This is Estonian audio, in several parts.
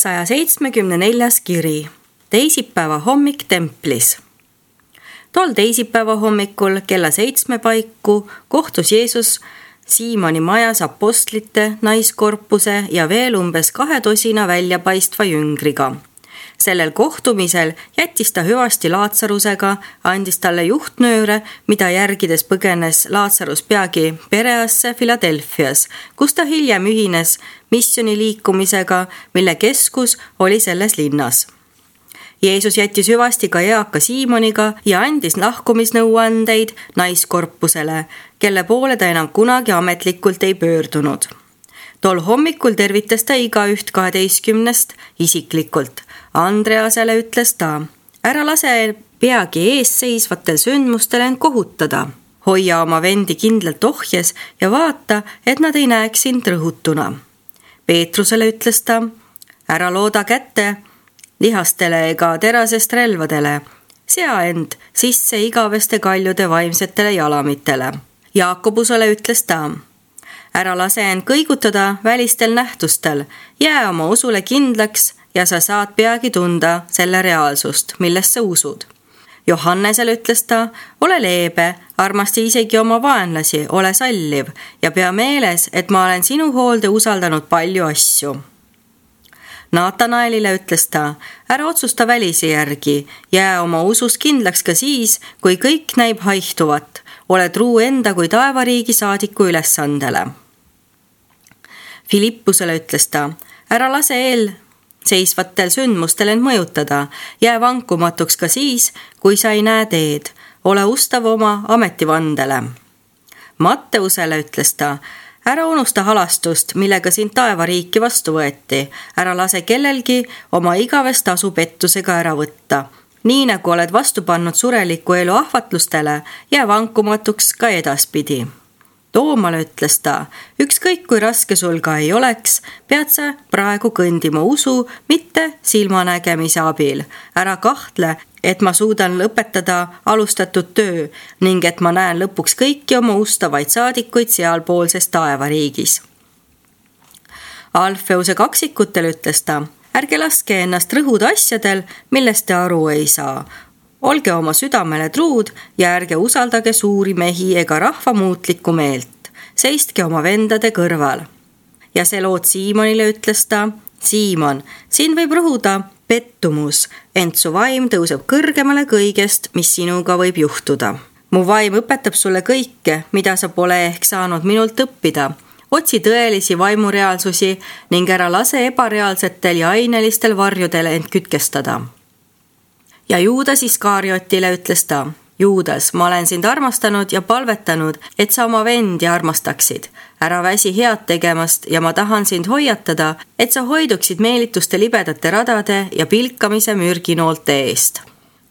174. kiri. Teisipäeva hommik templis. Tol teisipäeva hommikul kella 7 paiku kohtus Jeesus Siimoni majas apostlite, naiskorpuse ja veel umbes 2 väljapaistva jüngriga. Sellel kohtumisel jättis ta hüvasti Laatsarusega, andis talle juhtnööre, mida järgides põgenes Laatsarus peagi Pereasse Philadelphias, kus ta hiljem ühines missiooniliikumisega, mille keskus oli selles linnas. Jeesus jättis hüvasti ka eaka Siimoniga ja andis lahkumisnõuandeid naiskorpusele, kelle poole ta enam kunagi ametlikult ei pöördunud. Tol hommikul tervitas ta igaüht 12 isiklikult. Andreasele ütles ta: ära lase peagi eesseisvatel sündmustel end kohutada. Hoia oma vendi kindlalt ohjes ja vaata, et nad ei näeks sind rõhutuna. Peetrusele ütles ta: ära looda kätte lihastele ega terasest relvadele, sea end sisse igaveste kaljude vaimsetele jalamitele. Jaakobusele ütles ta: ära lase end kõigutada välistel nähtustel, jää oma usule kindlaks ja sa saad peagi tunda selle reaalsust, millest sa usud. Johannesele ütles ta: ole leebe, armasta isegi oma vaenlasi, ole salliv ja pea meeles, et ma olen sinu hoolde usaldanud palju asju. Naatanaelile ütles ta: ära otsusta välise järgi, jää oma usus kindlaks ka siis, kui kõik näib haihtuvat, ole truu enda kui taevariigi saadiku ülesandele. Filippusele ütles ta: ära lase seisvatel sündmustel end mõjutada, jää vankumatuks ka siis, kui sa ei näe teed, ole ustav oma ametivandele. Matteusele ütles ta: ära unusta halastust, millega sind taevariiki vastu võeti, ära lase kellelgi oma igavest tasu pettusega ära võtta. Nii nagu oled vastu pannud sureliku elu ahvatlustele, jää vankumatuks ka edaspidi. Toomale ütles ta: ükskõik kui raske sul ka ei oleks, pead sa praegu kõndima usu, mitte silmanägemise abil. Ära kahtle, et ma suudan lõpetada alustatud töö ning et ma näen lõpuks kõiki oma ustavaid saadikuid sealpoolses taevariigis. Alfeuse kaksikutel ütles ta: ärge laske ennast rõhuda asjadel, millest te aru ei saa. Olge oma südamele truud ja ärge usaldage suuri mehi ega rahva muutlikku meelt. Seistke oma vendade kõrval. Ja Seloot Siimonile ütles ta: Siimon, siin võib rõhuda pettumus, ent su vaim tõuseb kõrgemale kõigest, mis sinuga võib juhtuda. Mu vaim õpetab sulle kõike, mida sa pole ehk saanud minult õppida. Otsi tõelisi vaimureaalsusi ning ära lase ebareaalsetel ja ainelistel varjudel end kütkestada. Ja Juudas Iskariotile ütles ta: Juudas, ma olen sind armastanud ja palvetanud, et sa oma vendi armastaksid. Ära väsi head tegemast ja ma tahan sind hoiatada, et sa hoiduksid meelituste libedate radade ja pilkamise mürginoolte eest.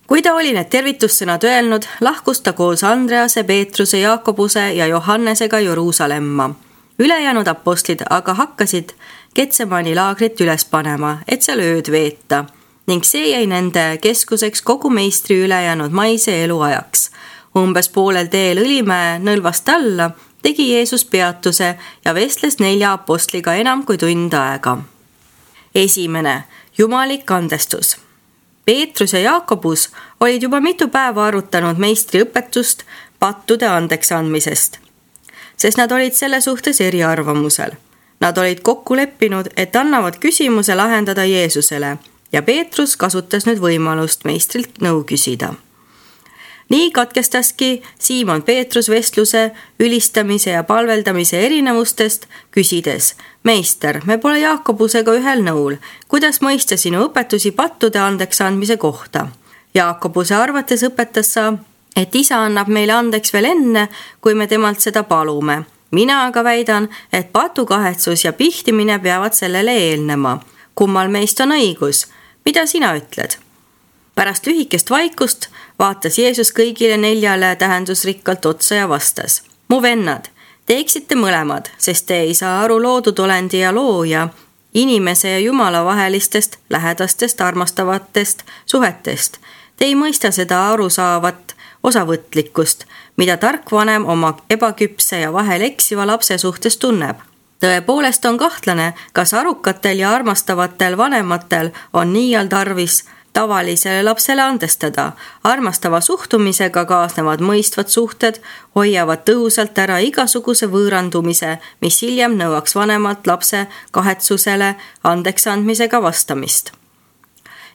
Kui ta oli need tervitussõnad öelnud, lahkus ta koos Andrease, Peetruse, Jaakobuse ja Johannesega Jeruusalemma. Ülejäänud apostlid aga hakkasid Getsemani laagrit üles panema, et seal ööd veeta. Ning see jäi nende keskuseks kogu meistri ülejäänud maise elu ajaks. Umbes poolel teel Õlimäe nõlvast alla tegi Jeesus peatuse ja vestles 4 apostliga enam kui tund aega. 1. Jumalik andestus. Peetrus ja Jaakobus olid juba mitu päeva arutanud meistri õpetust pattude andeks andmisest, sest nad olid selle suhtes eriarvamusel. Nad olid kokku leppinud, et annavad küsimuse lahendada Jeesusele ja Peetrus kasutas nüüd võimalust meistrilt nõu küsida. Nii katkestaski Siimon Peetrus vestluse, ülistamise ja palveldamise erinevustest, küsides: meister, me pole Jaakobusega ühel nõul, kuidas mõista sinu õpetusi pattude andeks andmise kohta? Jaakobuse arvates õpetas sa, et isa annab meile andeks veel enne, kui me temalt seda palume. Mina aga väidan, et patukahetsus ja pihtimine peavad sellele eelnema. Kummal meist on õigus? Mida sina ütled? Pärast lühikest vaikust vaatas Jeesus kõigile 4 tähendusrikkalt otsa ja vastas: mu vennad, teeksite mõlemad, sest te ei saa aru loodud olendi ja looja, inimese ja Jumala vahelistest, lähedastest, armastavatest suhetest. Te ei mõista seda arusaavat osavõtlikkust, mida tark vanem oma ebaküpse ja vahel eksiva lapse suhtes tunneb. Tõepoolest on kahtlane, kas arukatel ja armastavatel vanematel on niial tarvis tavalisele lapsele andestada. Armastava suhtumisega kaasnevad mõistvad suhted, hoiavad tõhusalt ära igasuguse võõrandumise, mis hiljem nõuaks vanemalt lapse kahetsusele andeks andmisega vastamist.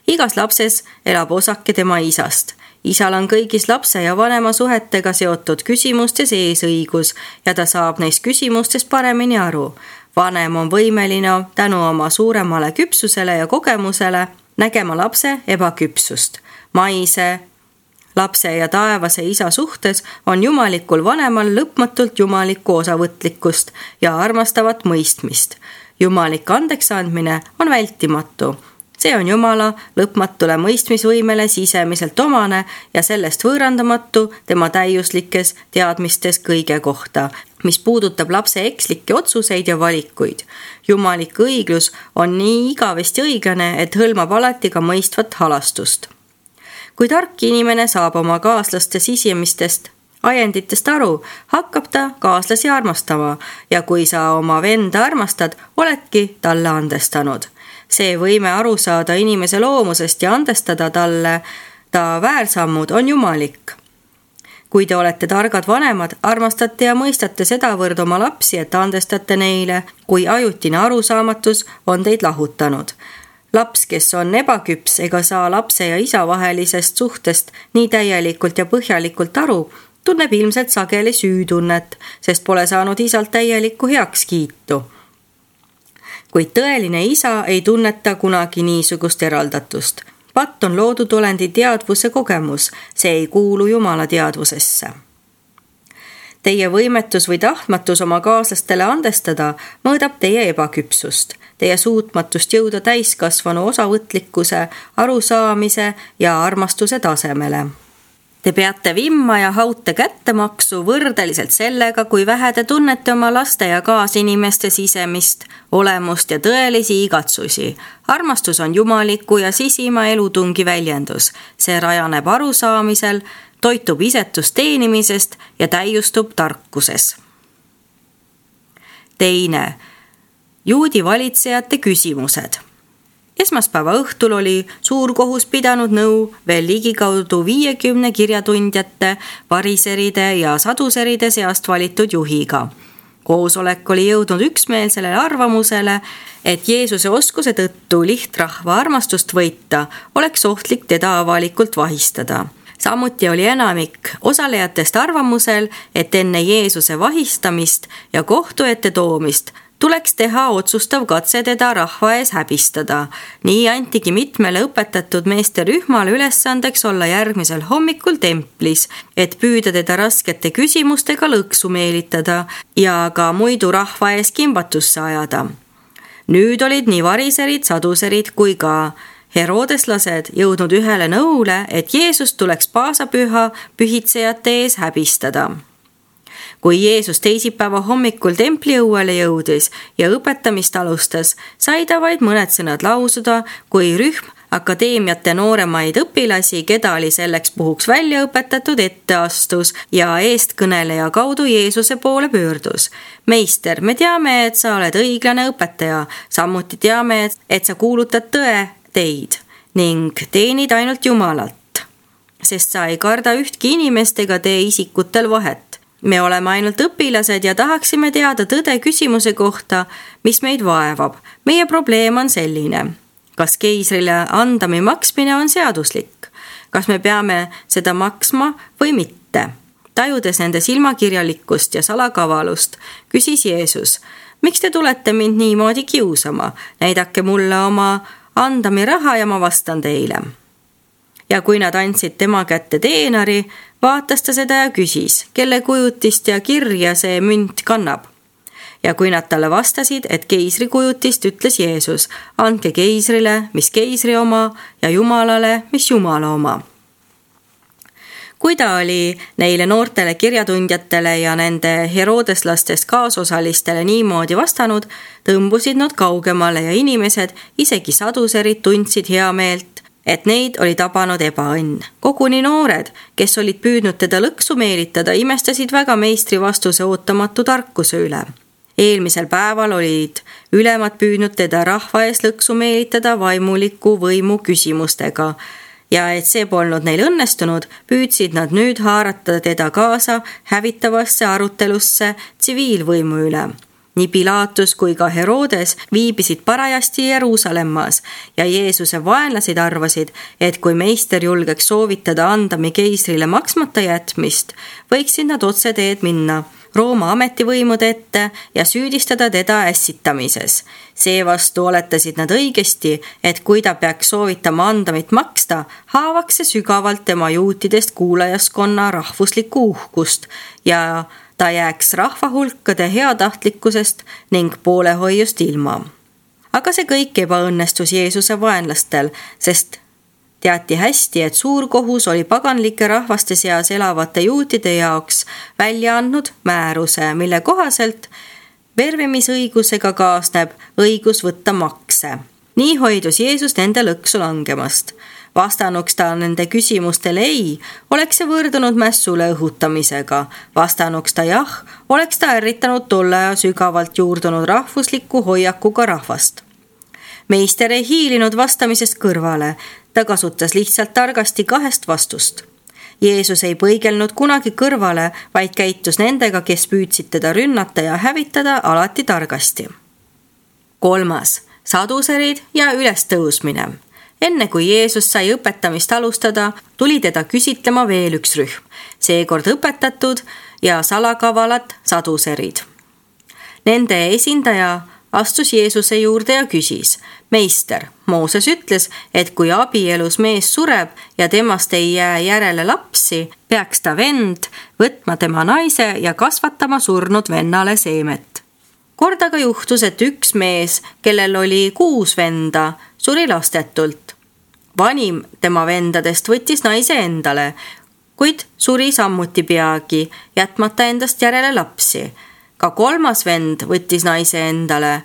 Igas lapses elab osake tema isast. Isal on kõigis lapse ja vanema suhetega seotud küsimustes eesõigus ja ta saab neist küsimustest paremini aru. Vanem on võimeline tänu oma suuremale küpsusele ja kogemusele nägema lapse ebaküpsust. Maise, lapse ja taevase isa suhtes on jumalikul vanemal lõpmatult jumalikku osavõtlikkust ja armastavat mõistmist. Jumalik andeks andmine on vältimatu. See on Jumala lõpmatule mõistmisvõimele sisemiselt omane ja sellest võõrandamatu tema täiuslikes teadmistes kõige kohta, mis puudutab lapse ekslikke otsuseid ja valikuid. Jumalik õiglus on nii igavesti õiglane, et hõlmab alati ka mõistvat halastust. Kui tark inimene saab oma kaaslaste sisemistest ajenditest aru, hakkab ta kaaslasi armastama ja kui sa oma venda armastad, oledki talle andestanud. See võime aru saada inimese loomusest ja andestada talle ta väärsammud on jumalik. Kui te olete targad vanemad, armastate ja mõistate sedavõrd oma lapsi, et andestate neile, kui ajutine arusaamatus on teid lahutanud. Laps, kes on ebaküps ega saa lapse ja isa vahelisest suhtest nii täielikult ja põhjalikult aru, tunneb ilmselt sageli süütunnet, sest pole saanud isalt täielikku heakskiitu. Kuid tõeline isa ei tunneta kunagi niisugust eraldatust. Patt on loodud olendi teadvuse kogemus, see ei kuulu Jumala teadvusesse. Teie võimetus või tahtmatus oma kaaslastele andestada mõõdab teie ebaküpsust, teie suutmatust jõuda täiskasvanu osavõtlikkuse, arusaamise ja armastuse tasemele. Te peate vimma ja haute kättemaksu võrdeliselt sellega, kui vähe te tunnete oma laste ja kaasinimeste sisemist, olemust ja tõelisi igatsusi. Armastus on jumaliku ja sisima elutungi väljendus. See rajaneb arusaamisel, toitub isetust teenimisest ja täiustub tarkuses. Teine. Juudi valitsejate küsimused. Esmaspäeva õhtul oli suurkohus pidanud nõu veel ligikaudu 50 kirjatundjate, variseride ja saduseride seast valitud juhiga. Koosolek oli jõudnud üksmeelsele arvamusele, et Jeesuse oskuse tõttu lihtrahva armastust võita oleks ohtlik teda avalikult vahistada. Samuti oli enamik osalejatest arvamusel, et enne Jeesuse vahistamist ja kohtu ette toomist tuleks teha otsustav katse teda rahva ees häbistada. Nii antigi mitmele õpetatud meeste rühmale ülesandeks olla järgmisel hommikul templis, et püüda teda raskete küsimustega lõksu meelitada ja ka muidu rahva ees kimbatusse ajada. Nüüd olid nii variserid, saduserid kui ka herodeslased jõudnud ühele nõule, et Jeesus tuleks paasapüha pühitsejate ees häbistada. Kui Jeesus teisipäeva hommikul templiõuele jõudis ja õpetamist alustas, sai ta vaid mõned sõnad lausuda, kui rühm akadeemiate nooremaid õpilasi, keda oli selleks puhuks välja õpetatud, ette astus ja eestkõneleja kaudu Jeesuse poole pöördus. Meister, me teame, et sa oled õiglane õpetaja, samuti teame, et sa kuulutad tõe teid ning teenid ainult Jumalat, sest sa ei karda ühtki inimest ega tee isikutel vahet. Me oleme ainult õpilased ja tahaksime teada tõde küsimuse kohta, mis meid vaevab. Meie probleem on selline. Kas keisrile andami maksmine on seaduslik? Kas me peame seda maksma või mitte? Tajudes nende silmakirjalikkust ja salakavalust, küsis Jeesus, miks te tulete mind niimoodi kiusama? Näidake mulle oma andami raha ja ma vastan teile. Ja kui nad andsid tema kätte teenari, vaatas ta seda ja küsis, kelle kujutist ja kirja see münt kannab. Ja kui nad talle vastasid, et keisri kujutist, ütles Jeesus, andke keisrile, mis keisri oma ja Jumalale, mis Jumala oma. Kui ta oli neile noortele kirjatundjatele ja nende herodeslastest kaasosalistele niimoodi vastanud, tõmbusid nad kaugemale ja inimesed, isegi saduserid, tundsid heameelt, et neid oli tabanud ebaõnn. Koguni noored, kes olid püüdnud teda lõksu meelitada, imestasid väga meistri vastuse ootamatu tarkuse üle. Eelmisel päeval olid ülemad püüdnud teda rahva ees lõksu meelitada vaimuliku võimu küsimustega ja et see polnud neil õnnestunud, püüdsid nad nüüd haarata teda kaasa hävitavasse arutelusse tsiviilvõimu üle. Nii Pilatus kui ka Herodes viibisid parajasti Jeruusalemmas ja Jeesuse vaenlased arvasid, et kui meister julgeks soovitada andami keisrile maksmata jätmist, võiksid nad otse teed minna Rooma ametivõimude ette ja süüdistada teda ässitamises. Seevastu oletasid nad õigesti, et kui ta peaks soovitama andamit maksta, haavaks see sügavalt tema juutidest kuulajaskonna rahvuslikku uhkust ja ta jääks rahvahulkade heatahtlikkusest ning poolehoiust ilma. Aga see kõik ebaõnnestus Jeesuse vaenlastel, sest teati hästi, et suur kohus oli paganlike rahvaste seas elavate juutide jaoks välja andnud määruse, mille kohaselt vervimisõigusega kaasneb õigus võtta makse. Nii hoidus Jeesus nende lõksu langemast. Vastanuks ta nende küsimustele ei, oleks see võrdunud mässule õhutamisega. Vastanuks ta jah, oleks ta ärritanud tolle aja sügavalt juurdunud rahvusliku hoiakuga rahvast. Meister ei hiilinud vastamisest kõrvale, ta kasutas lihtsalt targasti 2 vastust. Jeesus ei põigelnud kunagi kõrvale, vaid käitus nendega, kes püüdsid teda rünnata ja hävitada alati targasti. 3. Saduserid ja ülestõusmine. Enne kui Jeesus sai õpetamist alustada, tuli teda küsitlema veel üks rühm, seekord õpetatud ja salakavalad saduserid. Nende esindaja astus Jeesuse juurde ja küsis: Meister, Mooses ütles, et kui abielus mees sureb ja temast ei jää järele lapsi, peaks ta vend võtma tema naise ja kasvatama surnud vennale seemet. Kord aga juhtus, et üks mees, kellel oli 6 venda, suri lastetult. Vanim tema vendadest võttis naise endale, kuid suri sammuti peagi, jätmata endast järele lapsi. Ka 3. vend võttis naise endale,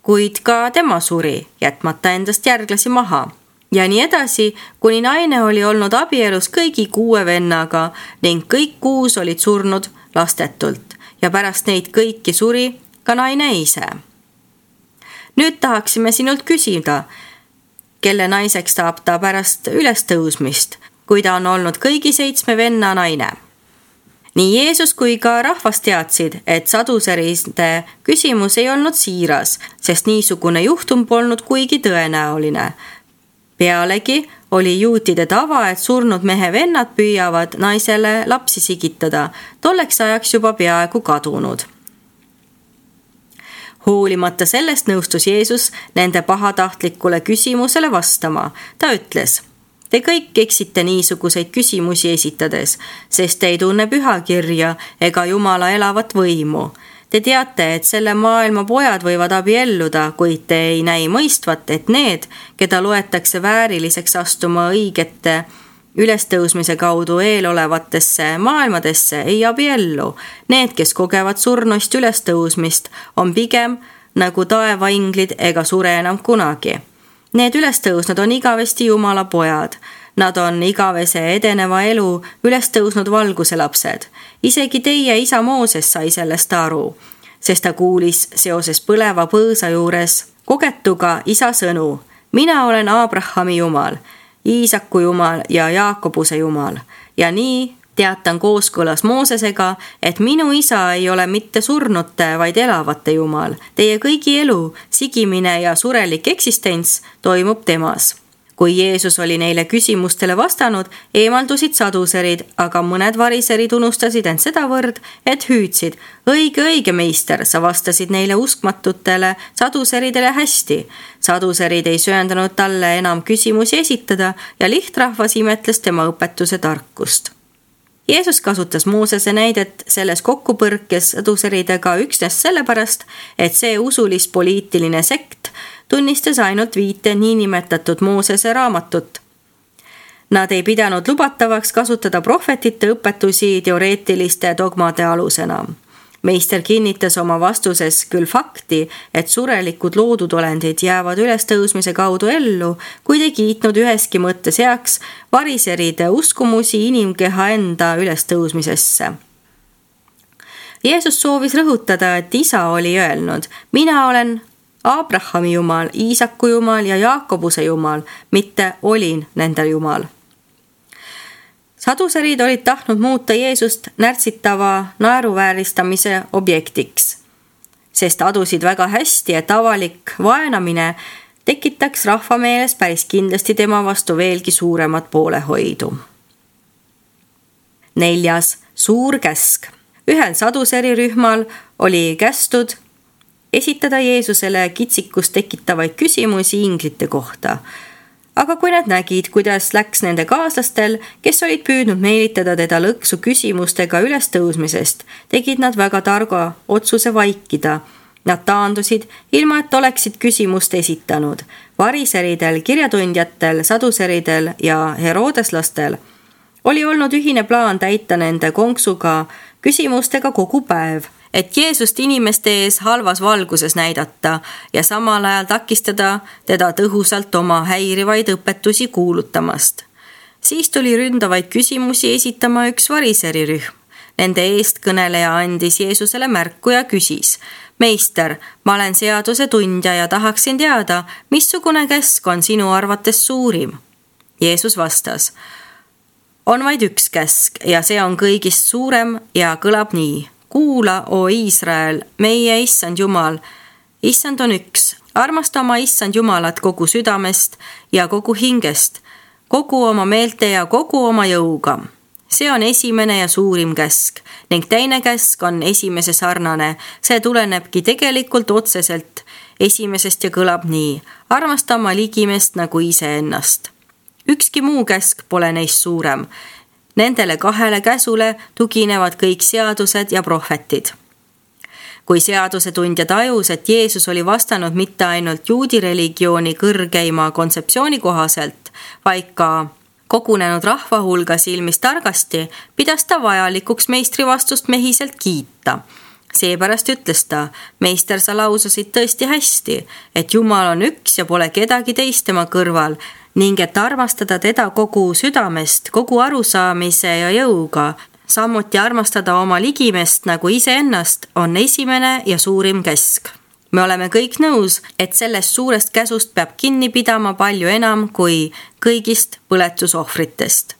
kuid ka tema suri, jätmata endast järglasi maha. Ja nii edasi, kuni naine oli olnud abielus kõigi 6 vennaga ning kõik 6 olid surnud lastetult ja pärast neid kõiki suri ka naine ise. Nüüd tahaksime sinult küsida, kelle naiseks saab ta pärast ülestõusmist, kui ta on olnud kõigi 7 venna naine. Nii Jeesus kui ka rahvas teadsid, et saduseriste küsimus ei olnud siiras, sest niisugune juhtum polnud kuigi tõenäoline. Pealegi oli juutide tava, et surnud mehe vennad püüavad naisele lapsi sigitada, tolleks ajaks juba peaaegu kadunud. Hoolimata sellest nõustus Jeesus nende pahatahtlikule küsimusele vastama. Ta ütles: Te kõik eksite niisuguseid küsimusi esitades, sest te ei tunne pühakirja ega Jumala elavat võimu. Te teate, et selle maailma pojad võivad abielluda, kuid te ei näi mõistvat, et need, keda loetakse vääriliseks astuma õigete ülestõusmise kaudu eelolevatesse maailmadesse, ei abiellu. Need, kes kogevad surnuist ülestõusmist, on pigem nagu taevainglid ega sure enam kunagi. Need ülestõusnud on igavesti Jumala pojad. Nad on igavese edeneva elu ülestõusnud valguse lapsed. Isegi teie isa Mooses sai sellest aru, sest ta kuulis seoses põleva põõsa juures kogetuga isa sõnu: Mina olen Abrahami Jumal, Iisaku Jumal ja Jaakobuse Jumal. Ja nii teatan kooskõlas Moosesega, et minu isa ei ole mitte surnute, vaid elavate Jumal. Teie kõigi elu, sigimine ja surelik eksistents toimub temas. Kui Jeesus oli neile küsimustele vastanud, eemaldusid saduserid, aga mõned variserid unustasid end sedavõrd, et hüüdsid: Õige, meister, sa vastasid neile uskmatutele saduseridele hästi. Saduserid ei söandanud talle enam küsimusi esitada ja lihtrahvas imetles tema õpetuse tarkust. Jeesus kasutas Moosese näidet selles kokkupõrkes saduseridega üksnes sellepärast, et see usulis-poliitiline sekt tunnistas ainult 5 niinimetatud Moosese raamatut. Nad ei pidanud lubatavaks kasutada prohvetite õpetusi teoreetiliste dogmade alusena. Meister kinnitas oma vastuses küll fakti, et surelikud loodud olendid jäävad ülestõusmise kaudu ellu, kuid ei kiitnud üheski mõttes heaks variseride uskumusi inimkeha enda ülestõusmisesse. Jeesus soovis rõhutada, et isa oli öelnud, mina olen Abrahami Jumal, Iisaku Jumal ja Jaakobuse Jumal, mitte olin nende Jumal. Saduserid olid tahtnud muuta Jeesust närtsitava naeruvääristamise objektiks, sest adusid väga hästi, et avalik vaenamine tekitaks rahva meeles päris kindlasti tema vastu veelgi suuremat poolehoidu. 4. Suur käsk. Ühel saduserirühmal oli kästud esitada Jeesusele kitsikust tekitavaid küsimusi inglite kohta. Aga kui nad nägid, kuidas läks nende kaaslastel, kes olid püüdnud meelitada teda lõksu küsimustega ülestõusmisest, tegid nad väga targa otsuse vaikida. Nad taandusid, ilma et oleksid küsimust esitanud. Variseridel, kirjatundjatel, saduseridel ja herodeslastel oli olnud ühine plaan täita nende konksuga küsimustega kogu päev, et Jeesust inimeste ees halvas valguses näidata ja samal ajal takistada teda tõhusalt oma häirivaid õpetusi kuulutamast. Siis tuli ründavaid küsimusi esitama üks variserirühm. Nende eestkõneleja andis Jeesusele märku ja küsis, meister, ma olen seaduse tundja ja tahaksin teada, missugune käsk on sinu arvates suurim? Jeesus vastas, on vaid üks käsk ja see on kõigist suurem ja kõlab nii. Kuula, o Iisrael, meie issand Jumal. Issand on üks. Armasta oma issand Jumalat kogu südamest ja kogu hingest, kogu oma meelte ja kogu oma jõuga. See on esimene ja suurim käsk ning teine käsk on esimese sarnane. See tulenebki tegelikult otseselt esimesest ja kõlab nii. Armasta oma ligimest nagu iseennast. Ükski muu käsk pole neist suurem. Nendele 2 käsule tuginevad kõik seadused ja prohvetid. Kui seadusetundja tajus, et Jeesus oli vastanud mitte ainult juudi religiooni kõrgeima kontseptsiooni kohaselt, vaid ka kogunenud rahva hulga silmis targasti, pidas ta vajalikuks meistri vastust mehiselt kiita. Seepärast ütles ta, meister, sa laususid tõesti hästi, et Jumal on üks ja pole kedagi teist tema kõrval, ning et armastada teda kogu südamest, kogu arusaamise ja jõuga, samuti armastada oma ligimest nagu iseennast, on esimene ja suurim käsk. Me oleme kõik nõus, et sellest suurest käsust peab kinni pidama palju enam kui kõigist põletusohvritest.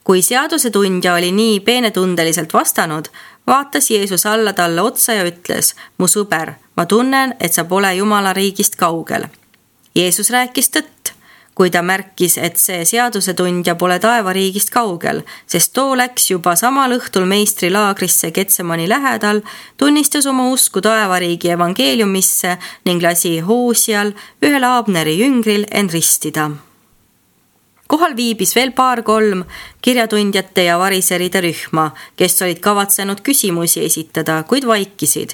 Kui seadusetundja oli nii peenetundeliselt vastanud, vaatas Jeesus alla talle otsa ja ütles, mu sõber, ma tunnen, et sa pole Jumala riigist kaugel. Jeesus rääkis tõtt, kui ta märkis, et see seadusetundja pole taevariigist kaugel, sest too läks juba samal õhtul meistri laagrisse Getsemani lähedal, tunnistas oma usku taevariigi evangeeliumisse ning lasi Hoosial, ühel Abneri jüngril, end ristida. Kohal viibis veel 2-3 kirjatundjate ja variseride rühma, kes olid kavatsenud küsimusi esitada, kuid vaikisid.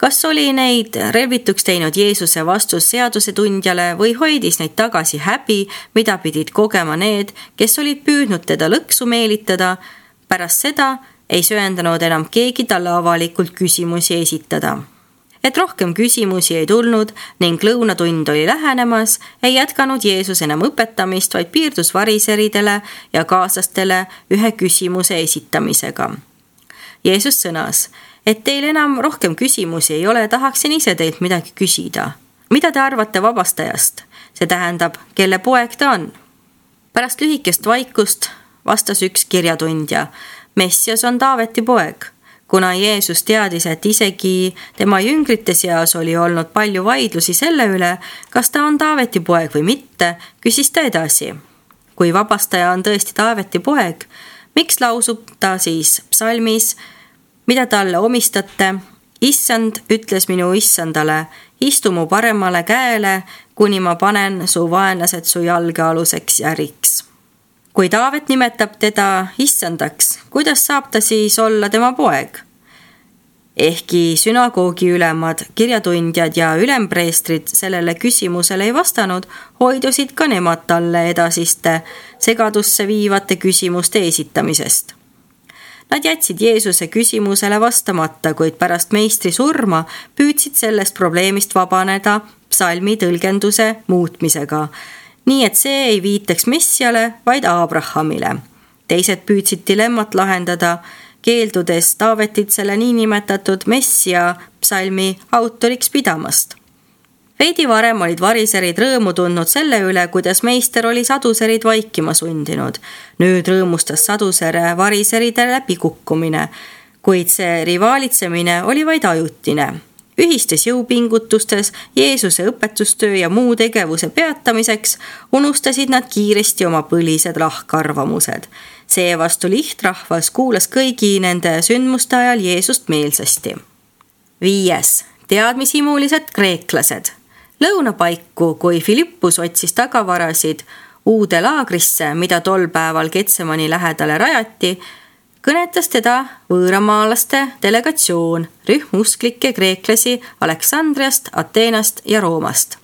Kas oli neid relvituks teinud Jeesuse vastus seadusetundjale või hoidis neid tagasi häbi, mida pidid kogema need, kes olid püüdnud teda lõksu meelitada? Pärast seda ei söandanud enam keegi talle avalikult küsimusi esitada. Et rohkem küsimusi ei tulnud ning lõunatund oli lähenemas, ei jätkanud Jeesus enam õpetamist, vaid piirdus variseridele ja kaaslastele ühe küsimuse esitamisega. Jeesus sõnas, et teil enam rohkem küsimusi ei ole, tahaksin ise teilt midagi küsida. Mida te arvate vabastajast? See tähendab, kelle poeg ta on? Pärast lühikest vaikust vastas üks kirjatundja. Messias on Taaveti poeg. Kuna Jeesus teadis, et isegi tema jüngrite seas oli olnud palju vaidlusi selle üle, kas ta on Taaveti poeg või mitte, küsis ta edasi. Kui vabastaja on tõesti Taaveti poeg, miks lausub ta siis psalmis, mida talle omistate? Issand ütles minu issandale, istu mu paremale käele, kuni ma panen su vaenlased su jalgealuseks järiks. Kui Taavet nimetab teda issandaks, kuidas saab ta siis olla tema poeg? Ehkki sünagoogi ülemad, kirjatundjad ja ülempreestrid sellele küsimusele ei vastanud, hoidusid ka nemad talle edasiste segadusse viivate küsimuste esitamisest. Nad jätsid Jeesuse küsimusele vastamata, kuid pärast meistri surma püüdsid sellest probleemist vabaneda psalmi tõlgenduse muutmisega, nii et see ei viitaks Messiale, vaid Abrahamile. Teised püüdsid dilemmat lahendada, keeldudes Taavetit selle niinimetatud Messia psalmi autoriks pidamast. Veidi varem olid variserid rõõmu tundnud selle üle, kuidas meister oli saduserid vaikima sundinud. Nüüd rõõmustas sadusere variseride läbikukkumine, kuid see rivaalitsemine oli vaid ajutine. Ühistes jõupingutustes Jeesuse õpetustöö ja muu tegevuse peatamiseks unustasid nad kiiresti oma põlised lahkarvamused. Seevastu lihtrahvas kuulas kõigi nende sündmuste ajal Jeesust meelsasti. 5. Teadmishimulised kreeklased. Lõunapaiku, kui Filippus otsis tagavarasid uude laagrisse, mida tol päeval Getsemani lähedale rajati, kõnetas teda võõramaalaste delegatsioon, rühm usklikke kreeklasi Aleksandriast, Ateenast ja Roomast.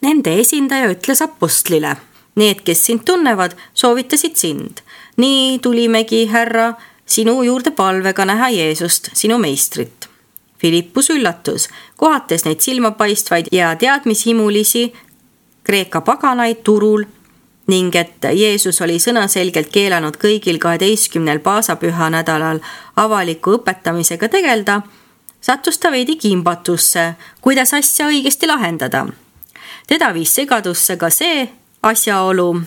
Nende esindaja ütles apostlile: "Need, kes sind tunnevad, soovitasid sind. Nii tulimegi, härra, sinu juurde palvega näha Jeesust, sinu meistrit." Filippus üllatus, kohates neid silmapaistvaid ja teadmishimulisi Kreeka paganaid turul ning et Jeesus oli sõnaselgelt keelanud kõigil 12 paasapüha nädalal avaliku õpetamisega tegelda, sattus ta veidi kimbatusse, kuidas asja õigesti lahendada. Teda viis segadusse ka see asjaolu,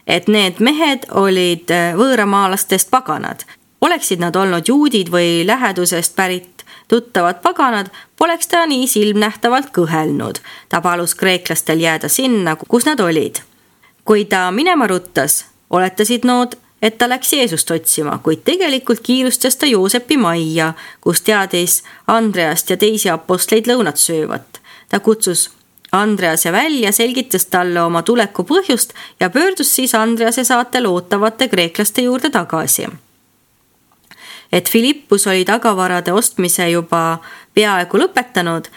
et need mehed olid võõramaalastest paganad. Oleksid nad olnud juudid või lähedusest pärit tuttavad paganad, poleks ta nii silmnähtavalt kõhelnud. Ta palus kreeklastel jääda sinna, kus nad olid. Kui ta minema ruttas, oletasid nood, et ta läks Jeesust otsima, kuid tegelikult kiirustas ta Joosepi majja, kus teadis Andreast ja teisi apostleid lõunat söövat. Ta kutsus Andrease välja, selgitas talle oma tuleku põhjust ja pöördus siis Andrease saatel ootavate kreeklaste juurde tagasi. Et Filippus oli tagavarade ostmise juba peaaegu lõpetanud,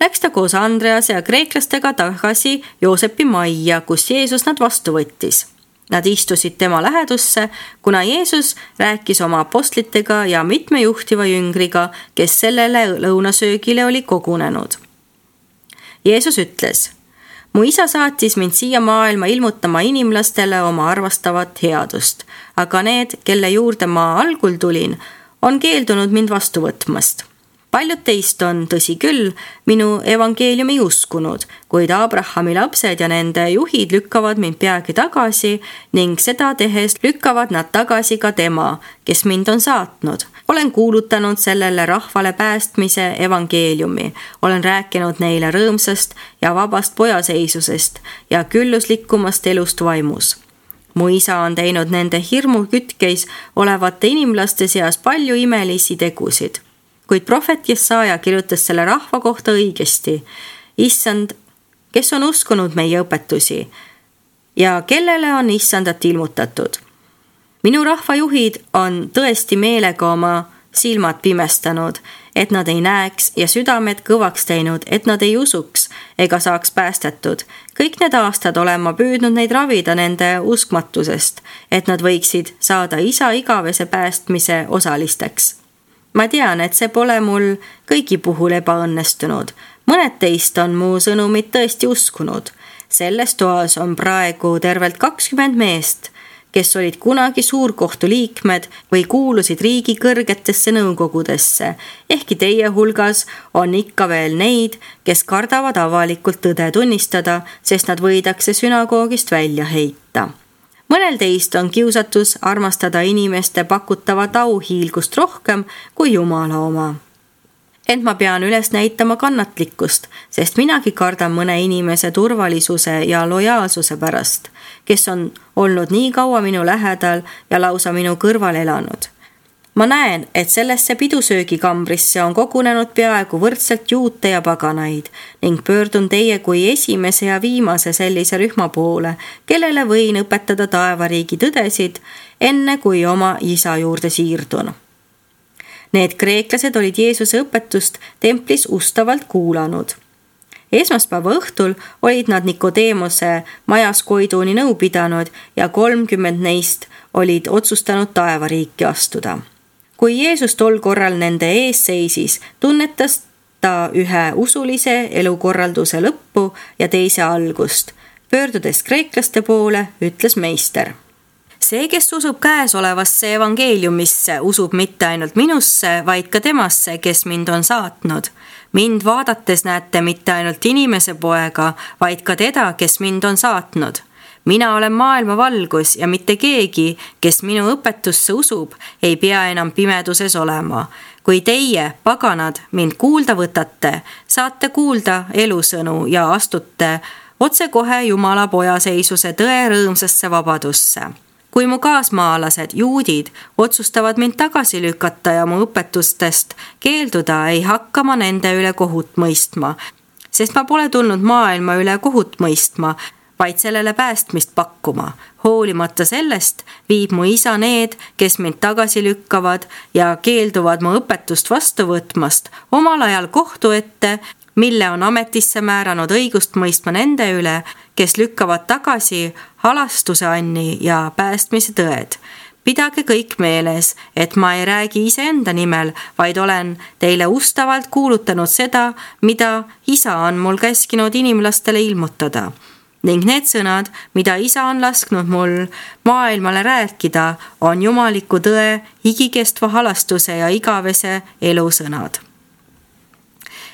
läks ta koos Andrease ja kreeklastega tagasi Joosepi majja, kus Jeesus nad vastu võttis. Nad istusid tema lähedusse, kuna Jeesus rääkis oma apostlitega ja mitme juhtiva jüngriga, kes sellele lõunasöögile oli kogunenud. Jeesus ütles: "Mu isa saatis mind siia maailma ilmutama inimlastele oma arvastavat headust, aga need, kelle juurde ma algul tulin, on keeldunud mind vastu võtmast. Paljud teist on, tõsi küll, minu evangeeliumi uskunud, kuid Abrahami lapsed ja nende juhid lükkavad mind peagi tagasi ning seda tehes lükkavad nad tagasi ka tema, kes mind on saatnud. Olen kuulutanud sellele rahvale päästmise evangeeliumi. Olen rääkinud neile rõõmsast ja vabast pojaseisusest ja külluslikumast elust vaimus. Mu isa on teinud nende hirmu kütkeis olevate inimlaste seas palju imelisi tegusid. Kuid prohvet Jesaja kirjutas selle rahva kohta õigesti. Issand, kes on uskunud meie õpetusi ja kellele on issandat ilmutatud. Minu rahvajuhid on tõesti meelega oma silmad pimestanud, et nad ei näeks ja südamed kõvaks teinud, et nad ei usuks ega saaks päästetud. Kõik need aastad olen ma püüdnud neid ravida nende uskmatusest, et nad võiksid saada isa igavese päästmise osalisteks. Ma tean, et see pole mul kõigi puhul ebaõnnestunud. Mõned teist on mu sõnumit tõesti uskunud. Selles toas on praegu tervelt 20 meest, kes olid kunagi suurkohtu liikmed või kuulusid riigi kõrgetesse nõukogudesse. Ehkki teie hulgas on ikka veel neid, kes kardavad avalikult tõde tunnistada, sest nad võidakse sünagoogist välja heita. Mõnel teist on kiusatus armastada inimeste pakutavat auhiilgust rohkem kui Jumala oma. Ent ma pean üles näitama kannatlikkust, sest minagi kardan mõne inimese turvalisuse ja lojaalsuse pärast, kes on olnud nii kaua minu lähedal ja lausa minu kõrval elanud. Ma näen, et sellesse pidusöögikambrisse on kogunenud peaaegu võrdselt juute ja paganaid ning pöördun teie kui esimese ja viimase sellise rühma poole, kellele võin õpetada taevariigi tõdesid, enne kui oma isa juurde siirdun. Need kreeklased olid Jeesuse õpetust templis ustavalt kuulanud. Esmaspäeva õhtul olid nad Nikodeemose majas Koiduni nõu pidanud ja 30 neist olid otsustanud taevariiki astuda. Kui Jeesus tol korral nende ees seisis, tunnetas ta ühe usulise elukorralduse lõppu ja teise algust. Pöördudes kreeklaste poole, ütles meister: See, kes usub käesolevasse evangeeliumisse, usub mitte ainult minusse, vaid ka temasse, kes mind on saatnud. Mind vaadates näete mitte ainult inimese poega, vaid ka teda, kes mind on saatnud. Mina olen maailma valgus ja mitte keegi, kes minu õpetusse usub, ei pea enam pimeduses olema. Kui teie, paganad, mind kuulda võtate, saate kuulda elusõnu ja astute otsekohe Jumala pojaseisuse tõe rõõmsasse vabadusse. Kui mu kaasmaalased, juudid, otsustavad mind tagasi lükata ja mu õpetustest keelduda, ei hakka ma nende üle kohut mõistma, sest ma pole tulnud maailma üle kohut mõistma, vaid sellele päästmist pakkuma. Hoolimata sellest viib mu isa need, kes mind tagasi lükkavad ja keelduvad mu õpetust vastu võtmast, omal ajal kohtu ette, mille on ametisse määranud õigust mõistma nende üle, kes lükkavad tagasi halastuse anni ja päästmise tõed. Pidage kõik meeles, et ma ei räägi iseenda nimel, vaid olen teile ustavalt kuulutanud seda, mida isa on mul käskinud inimlastele ilmutada. Ning need sõnad, mida isa on lasknud mul maailmale rääkida, on jumaliku tõe, igikestva halastuse ja igavese elusõnad.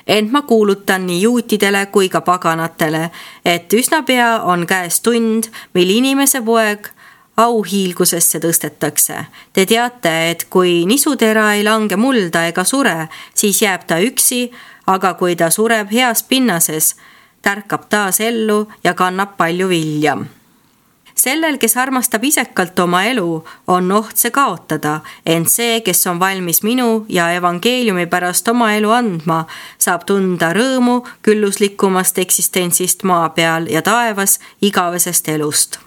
Ent ma kuulutan nii juutidele kui ka paganatele, et üsna pea on käes tund, mil inimese poeg auhiilgusesse tõstetakse. Te teate, et kui nisutera ei lange mulda ega sure, siis jääb ta üksi, aga kui ta sureb heas pinnases, tärkab taas ellu ja kannab palju vilja. Sellel, kes armastab isekalt oma elu, on oht see kaotada, ent see, kes on valmis minu ja evangeeliumi pärast oma elu andma, saab tunda rõõmu külluslikumast eksistentsist maa peal ja taevas igavesest elust.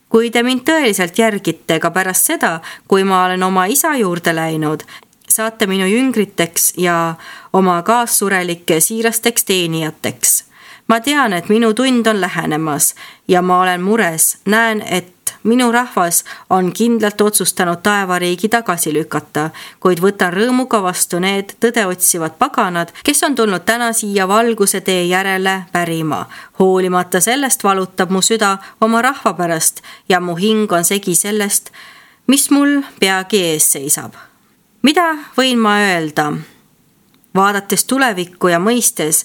Kui te mind tõeliselt järgite ka pärast seda, kui ma olen oma isa juurde läinud, saate minu jüngriteks ja oma kaassurelike siirasteks teenijateks. Ma tean, et minu tund on lähenemas ja ma olen mures. Näen, et minu rahvas on kindlalt otsustanud taevariigi tagasi lükata, kuid võtan rõõmuga vastu need tõde otsivad paganad, kes on tulnud täna siia valguse tee järele pärima. Hoolimata sellest valutab mu süda oma rahva pärast ja mu hing on segi sellest, mis mul peagi ees seisab. Mida võin ma öelda? Vaadates tulevikku ja mõistes,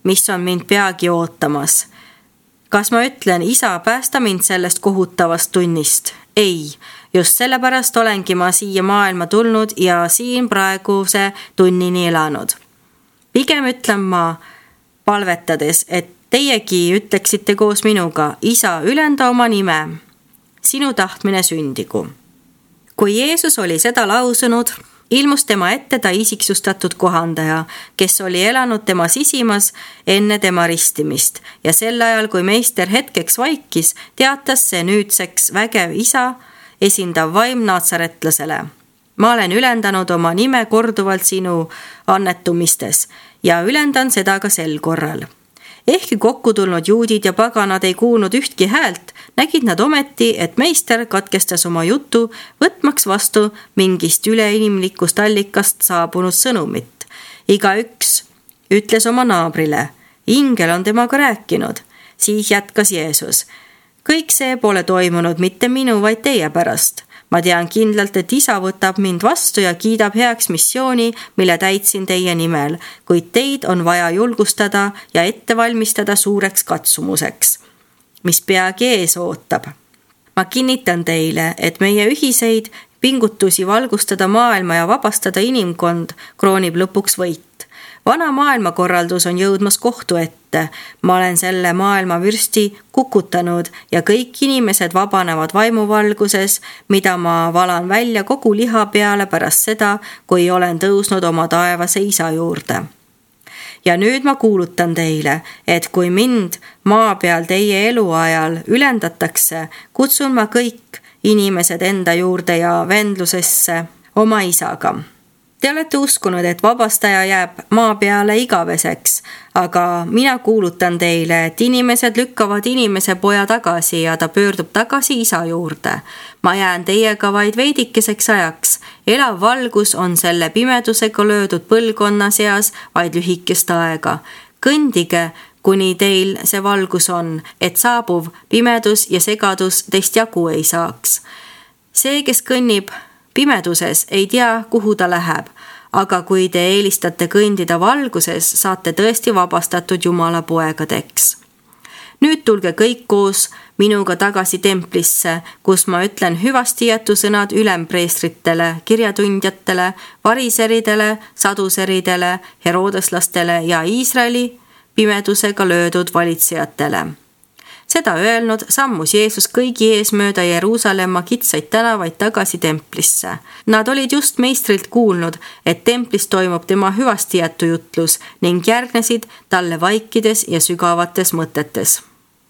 mis on mind peagi ootamas. Kas ma ütlen, isa, päästa mind sellest kohutavast tunnist? Ei, just sellepärast olengi ma siia maailma tulnud ja siin praeguse tunnini elanud. Pigem ütlen ma palvetades, et teiegi ütleksite koos minuga, isa, ülenda oma nime, sinu tahtmine sündigu. Kui Jeesus oli seda lausunud, ilmus tema ette ta isiksustatud kohandaja, kes oli elanud tema sisimas enne tema ristimist ja sel ajal, kui meister hetkeks vaikis, teatas see nüüdseks vägev isa esindav vaim naatsaretlasele. Ma olen ülendanud oma nime korduvalt sinu annetumistes ja ülendan seda ka sel korral. Ehkki kokku tulnud juudid ja paganad ei kuulnud ühtki häält, nägid nad ometi, et meister katkestas oma jutu, võtmaks vastu mingist üleinimlikust allikast saabunud sõnumit. Igaüks ütles oma naabrile, ingel on temaga rääkinud. Siis jätkas Jeesus. Kõik see pole toimunud mitte minu, vaid teie pärast. Ma tean kindlalt, et isa võtab mind vastu ja kiidab heaks missiooni, mille täitsin teie nimel, kuid teid on vaja julgustada ja ette valmistada suureks katsumuseks, mis peagi ees ootab. Ma kinnitan teile, et meie ühiseid pingutusi valgustada maailma ja vabastada inimkond kroonib lõpuks võit. Vana maailmakorraldus on jõudmas kohtu ette. Ma olen selle maailma vürsti kukutanud ja kõik inimesed vabanevad vaimuvalguses, mida ma valan välja kogu liha peale pärast seda, kui olen tõusnud oma taevase isa juurde. Ja nüüd ma kuulutan teile, et kui mind maa peal teie eluajal ülendatakse, kutsun ma kõik inimesed enda juurde ja vendlusesse oma isaga. Te olete uskunud, et vabastaja jääb maa peale igaveseks, aga mina kuulutan teile, et inimesed lükkavad inimese poja tagasi ja ta pöördub tagasi isa juurde. Ma jään teiega vaid veidikeseks ajaks. Elav valgus on selle pimedusega löödud põlvkonna seas vaid lühikest aega. Kõndige kuni teil see valgus on, et saabuv pimedus ja segadus teist jagu ei saaks. See, kes kõnnib pimeduses, ei tea, kuhu ta läheb, aga kui te eelistate kõndida valguses, saate tõesti vabastatud Jumala poegadeks. Nüüd tulge kõik koos minuga tagasi templisse, kus ma ütlen hüvastijätusõnad ülempreestritele, kirjatundjatele, variseridele, saduseridele, herodeslastele ja Iisraeli pimedusega löödud valitsejatele. Seda öelnud sammus Jeesus kõigi ees mööda Jeruusalemma kitsaid tänavaid tagasi templisse. Nad olid just meistrilt kuulnud, et templis toimub tema hüvastijätujutlus ning järgnesid talle vaikides ja sügavates mõtetes.